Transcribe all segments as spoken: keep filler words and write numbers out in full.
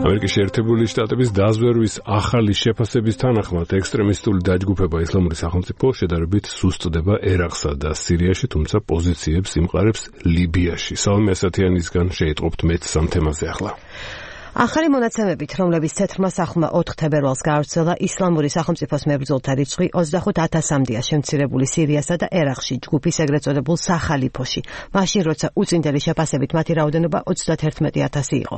ამერიკის შეერთებული შტატების დაზვერვის ახალი შეფასების თანახმად ექსტრემისტული დაჯგუფება ისლამური სახელმწიფო შედარებით სუსტდება ერაყსა და სირიაში, თუმცა პოზიციებს იმყარებს ლიბიაში. სალმე ასათიანისგან შეიტყობთ მეც სამ თემაზე ახლა. ახალი მონაცემებით, რომლებიც თეთრმა სახლმა ოთხ თებერვალს გაავრცელა, ისლამური სახელმწიფოს მებრძოლთა რიცხვი ოცდახუთ ათასამდეა შემცირებული სირიასა და ერაყში ჯგუფის ეგრეთ წოდებულ სახალიფოში. მაშინ, როცა უწინდელი შეფასებით მათი რაოდენობა ოცდათერთმეტი ათასი იყო.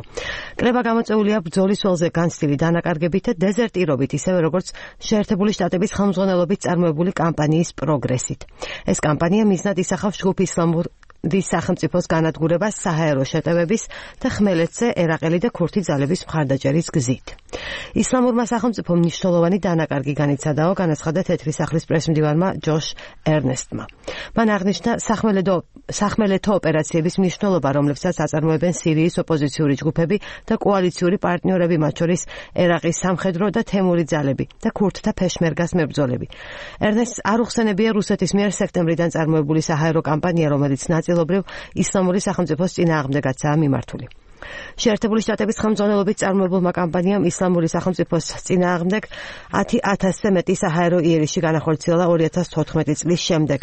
კრება გამოწვეულია ბრძოლის ველზე განცდილი დანაკარგებით და დეზერტირობით, ისევე როგორც შეერთებული შტატების ხელმძღვანელობით წარმოებული კამპანიის პროგრესით. ეს კამპანია მიზნად ისახავს ჯგუფ ისლამურ დის სახელმწიფოს განადგურებას საჰაერო შეტევების და ხმელეთზე ერაყელი და ქურთი ძალების მხარდაჭერის გზით. ისლამურმა სახელმწიფომ მნიშვნელოვანი დანაკარგი განიცადაო, განაცხადა თეთრი სახლის პრესმდივანმა ჯოშ ერნესტმა. მან აღნიშნა სახმელეთო ოპერაციების მნიშვნელობა, რომლებსაც აწარმოებენ სირიის ოპოზიციური ჯგუფები და კოალიციური პარტნიორები, მათ შორის ერაყის სამხედრო და თემური ძალები და ქურთთა ფეშმერგას მებრძოლები. ერნესტს არ უხსენებია რუსეთის მიერ სექტემბრიდან წარმოებული საჰაერო კამპანია, რომელიც ნაწილობრივ ისლამური სახელმწიფოს წინააღმდეგაცაა მიმართული. შეერთებული შტატების ხელმძღვანელობით წარმოებულმა კამპანიამ ისლამური სახელმწიფოს წინააღმდეგ ათი ათასზე მეტი საჰაერო იერიში განახორციელა ორი ათას თოთხმეტი წლის შემდეგ.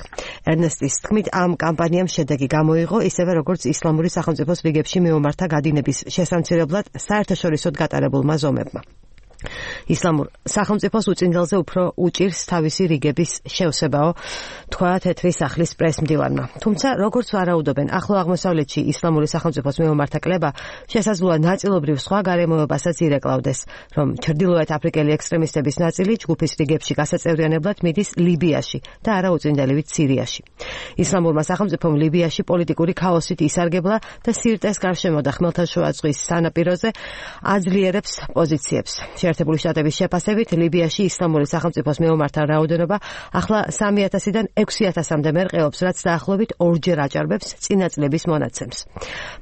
ერნესტის თქმით, ამ კამპანიამ შედეგი გამოიღო, ისევე როგორც ისლამური სახელმწიფოს რიგებში მეომართა გადინების შესამცირებლად საერთაშორისოდ გატარებულმა ზომებმა. ისლამურ სახელმწიფოს უწინდელზე უფრო უჭირს თავისი რიგების შევსებაო, თქვა თეთრი სახლის პრესმდივანმა. თუმცა, როგორც ვარაუდობენ, ახლო აღმოსავლეთში ისლამური სახელმწიფოს მეომართა კლება შესაძლოა ნაწილობრივ სხვა გარემოებასაც ირეკლავდეს, რომ ჩრდილოეთ აფრიკელი ექსტრემისტების ნაწილი ჯგუფის რიგებში გასაწევრიანებლად მიდის ლიბიაში და არა უწინდელივით სირიაში. ისლამურმა სახელმწიფომ ლიბიაში პოლიტიკური ქაოსით ისარგებლა და სირტეს გარშემო და ხმელთაშუა ზღვის სანაპიროზე აძლიერებს პოზიციებს. შეერთებული შტატების შეფასებით, ლიბიაში ისლამური სახელმწიფოს მეომართა რაოდენობა ახლა სამი ათასიდან ექვსი ათასამდე მერყეობს, რაც დაახლოებით ორჯერ აჭარბებს წინა წლების მონაცემს.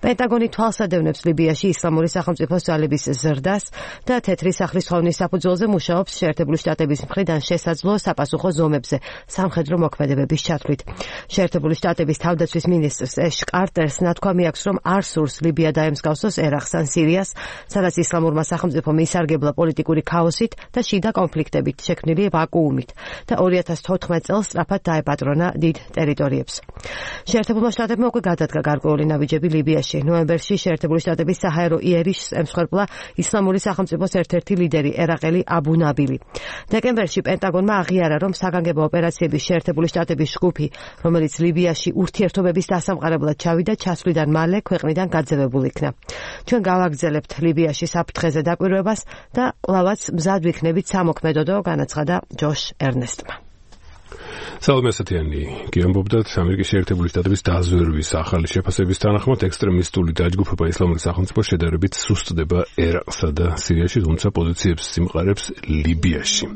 პენტაგონი თვალს ადევნებს ლიბიაში ისლამური სახელმწიფოს ძალების ზრდას და თეთრი სახლის ხოვნის საფუძველზე მუშაობს შეერთებული შტატების მხრიდან შესაძლო საპასუხო ზომებზე სამხედრო მოქმედებების ჩათვლით. შეერთებული შტატების თავდაცვის მინისტრს ეშ კარტერს ნათქვამი აქვს, რომ არ სურს ლიბია დაემსგავსოს ერაყს ან სირიას, სადაც ისლამურმა სახელმწიფომ ისარგებლა პოლიტიკური ქაოსით და შიდა კონფლიქტებით შექმნილი ვაკუუმით და ორი ათას თოთხმეტ წელს სწრაფად დაეპატრონა დიდ ტერიტორიებს. შეერთებულმა შტატებმა უკვე გადადგა გარკვეული ნაბიჯები ლიბიაში. ნოემბერში შეერთებული შტატების საჰაერო იერიშს ემსხვერპლა ისლამური სახელმწიფოს ერთ-ერთი ლიდერი ერაყელი აბუ ნაბილი. დეკემბერში პენტაგონმა აღიარა, რომ საგანგებო ოპერაციების შეერთებული შტატების ჯგუფი, რომელიც ლიბიაში ურთიერთობების დასამყარებლად ჩავიდა, ჩასვლიდან მალე ქვეყნიდან გაძევებულ იქნა. ჩვენ გავაგრძელებთ ლიბიაში საფრთხეზე დაკვირვებას და კვლავაც მზად ვიქნებით სამოქმედოდო, განაცხადა ჯოშ ერნესტმა. სალმე ასათიანი გიამბობდათ, ამერიკის შეერთებული შტატების დაზვერვის ახალი შეფასების თანახმად ექსტრემისტული დაჯგუფება ისლამური სახელმწიფო შედარებით სუსტდება ერაყსა და სირიაში, თუმცა პოზიციებს იმყარებს ლიბიაში.